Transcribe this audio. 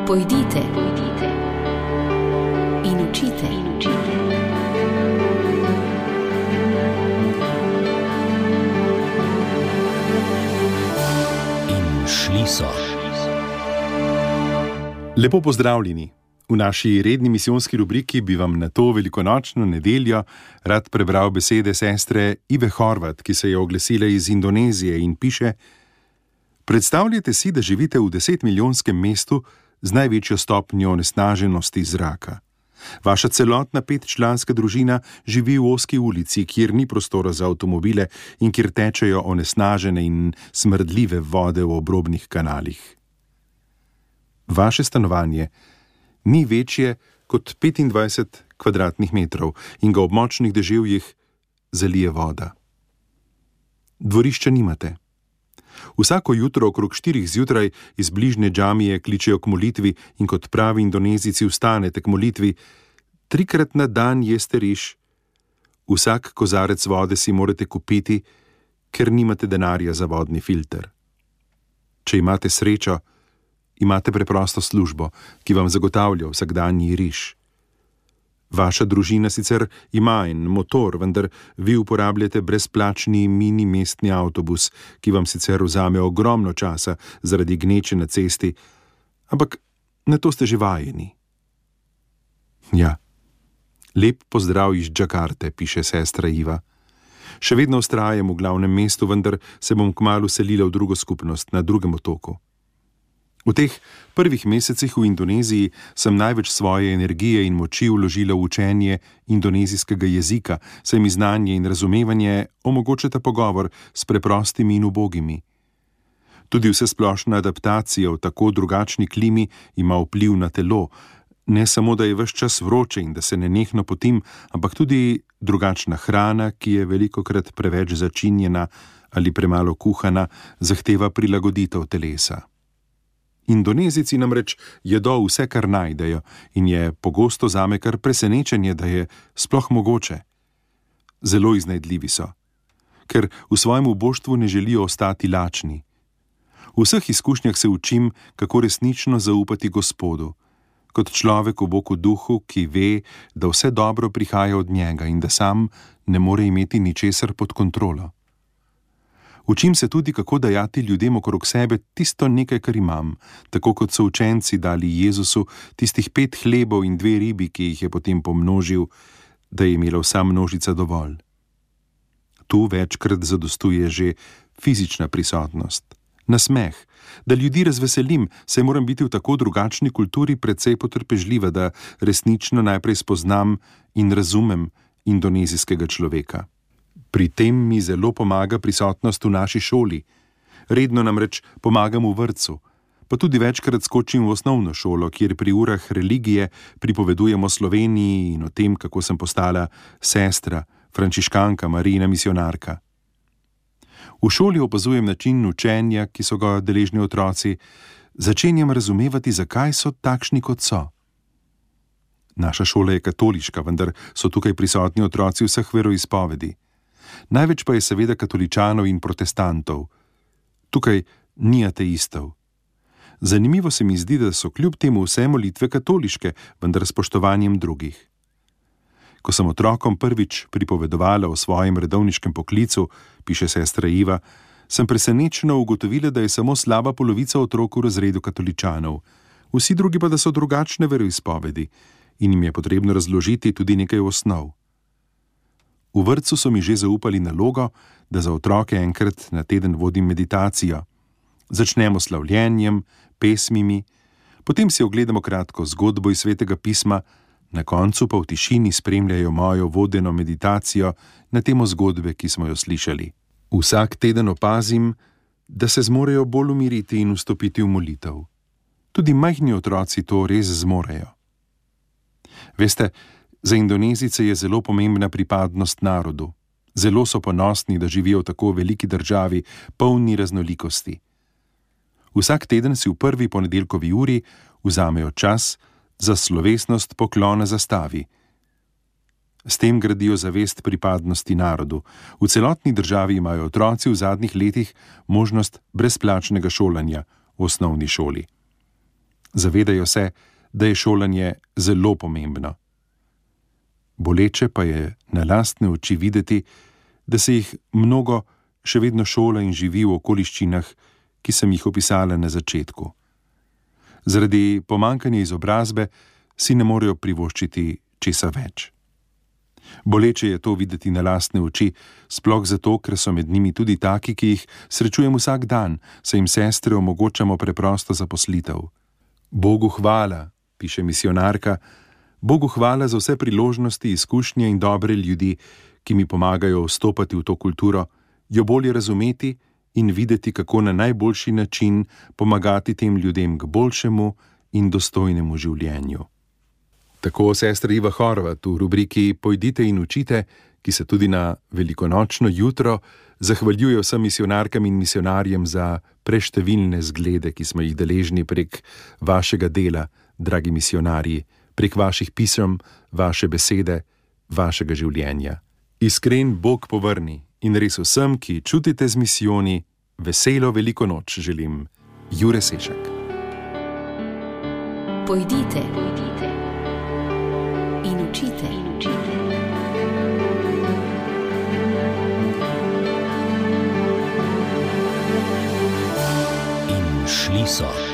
Pojdite in učite. In šli so. Lepo pozdravljeni. V naši redni misijonski rubriki bi vam na to velikonočno nedeljo rad prebral besede sestre Ive Horvat, ki se je oglasila iz Indonezije in piše: Predstavljajte si, da živite v 10-milijonskem mestu z največjo stopnjo onesnaženosti zraka. Vaša celotna 5-članska družina živi v ozki ulici, kjer ni prostora za avtomobile in kjer tečejo onesnažene in smrdljive vode v obrobnih kanalih. Vaše stanovanje ni večje kot 25 kvadratnih metrov in ga ob močnih deževjih zalije voda. Dvorišča nimate. Vsako jutro okrog 4 zjutraj iz bližnje džamije kličejo k molitvi in kot pravi Indonezijci vstanete k molitvi. 3-krat na dan jeste riž. Vsak kozarec vode si morate kupiti, ker nimate denarja za vodni filter. Če imate srečo, imate preprosto službo, ki vam zagotavlja vsakdanji riž. Vaša družina sicer ima en motor, vendar vi uporabljate brezplačni mini mestni avtobus, ki vam sicer vzame ogromno časa zaradi gneče na cesti, ampak na to ste že vajeni. Ja, lep pozdrav iz Džakarte, piše sestra Iva. Še vedno vztrajam v glavnem mestu, vendar se bom kmalu selila v drugo skupnost, na drugem otoku. V teh prvih mesecih v Indoneziji sem največ svoje energije in moči vložila v učenje indonezijskega jezika, saj mi znanje in razumevanje omogočata pogovor s preprostimi in ubogimi. Tudi vsesplošna adaptacija v tako drugačni klimi ima vpliv na telo, ne samo, da je ves čas vroče in da se nenehno potim, ampak tudi drugačna hrana, ki je velikokrat preveč začinjena ali premalo kuhana, zahteva prilagoditev telesa. Indonezijci namreč jedo vse, kar najdejo, in je pogosto zame kar presenečenje, da je sploh mogoče. Zelo iznajdljivi so, ker v svojem uboštvu ne želijo ostati lačni. V vseh izkušnjah se učim, kako resnično zaupati Gospodu, kot človek v boku duhu, ki ve, da vse dobro prihaja od njega in da sam ne more imeti ničesar pod kontrolo. Učim se tudi, kako dajati ljudem okrog sebe tisto nekaj, kar imam, tako kot so učenci dali Jezusu tistih 5 hlebov in 2 ribi, ki jih je potem pomnožil, da je imela vsa množica dovolj. Tu večkrat zadostuje že fizična prisotnost, nasmeh, da ljudi razveselim, saj moram biti v tako drugačni kulturi precej potrpežljiva, da resnično najprej spoznam in razumem indonezijskega človeka. Pri tem mi zelo pomaga prisotnost v naši šoli. Redno namreč pomagam v vrtcu, pa tudi večkrat skočim v osnovno šolo, kjer pri urah religije pripovedujemo o Sloveniji in o tem, kako sem postala sestra, frančiškanka, Marijina misionarka. V šoli opazujem način učenja, ki so ga deležni otroci, začenjam razumevati, zakaj so takšni, kot so. Naša šola je katoliška, vendar so tukaj prisotni otroci vseh veroizpovedi. Največ pa je seveda katoličanov in protestantov. Tukaj ni ateistov. Zanimivo se mi zdi, da so kljub temu vse molitve katoliške, vendar s spoštovanjem drugih. Ko sem otrokom prvič pripovedovala o svojem redovniškem poklicu, piše sestra Iva, sem presenečeno ugotovila, da je samo slaba polovica otrok v razredu katoličanov, vsi drugi pa, da so drugačne veroizpovedi in jim je potrebno razložiti tudi nekaj osnov. V vrtcu so mi že zaupali nalogo, da za otroke enkrat na teden vodim meditacijo. Začnemo s slavljenjem, pesmimi, potem si ogledamo kratko zgodbo iz Svetega pisma, na koncu pa v tišini spremljajo mojo vodeno meditacijo na temo zgodbe, ki smo jo slišali. Vsak teden opazim, da se zmorejo bolj umiriti in vstopiti v molitev. Tudi majhni otroci to res zmorejo. Veste, za Indonezijce je zelo pomembna pripadnost narodu. Zelo so ponosni, da živijo v tako veliki državi, polni raznolikosti. Vsak teden si v prvi ponedeljkovi uri vzamejo čas za slovesnost poklona zastavi. S tem gradijo zavest pripadnosti narodu. V celotni državi imajo otroci v zadnjih letih možnost brezplačnega šolanja v osnovni šoli. Zavedajo se, da je šolanje zelo pomembno. Boleče pa je na lastne oči videti, da se jih mnogo še vedno šola in živi v okoliščinah, ki sem jih opisala na začetku. Zaradi pomanjkanja izobrazbe si ne morejo privoščiti česa več. Boleče je to videti na lastne oči, sploh zato, ker so med njimi tudi taki, ki jih srečujem vsak dan, saj jim sestre omogočamo preprosto zaposlitev. Bogu hvala, piše misionarka, Bogu hvala za vse priložnosti, izkušnje in dobre ljudi, ki mi pomagajo vstopati v to kulturo, jo bolje razumeti in videti, kako na najboljši način pomagati tem ljudem k boljšemu in dostojnemu življenju. Tako sestra Iva Horvat v rubriki Pojdite in učite, ki se tudi na velikonočno jutro zahvaljuje vsem misionarkam in misionarjem za preštevilne zglede, ki smo jih deležni prek vašega dela, dragi misionarji, prek vaših pisem, vaše besede, vašega življenja. Iskren Bog povrni in res vsem, ki čutite z misijoni, veselo veliko noč želim. Jure Sešak. Pojdite in učite. In šli so.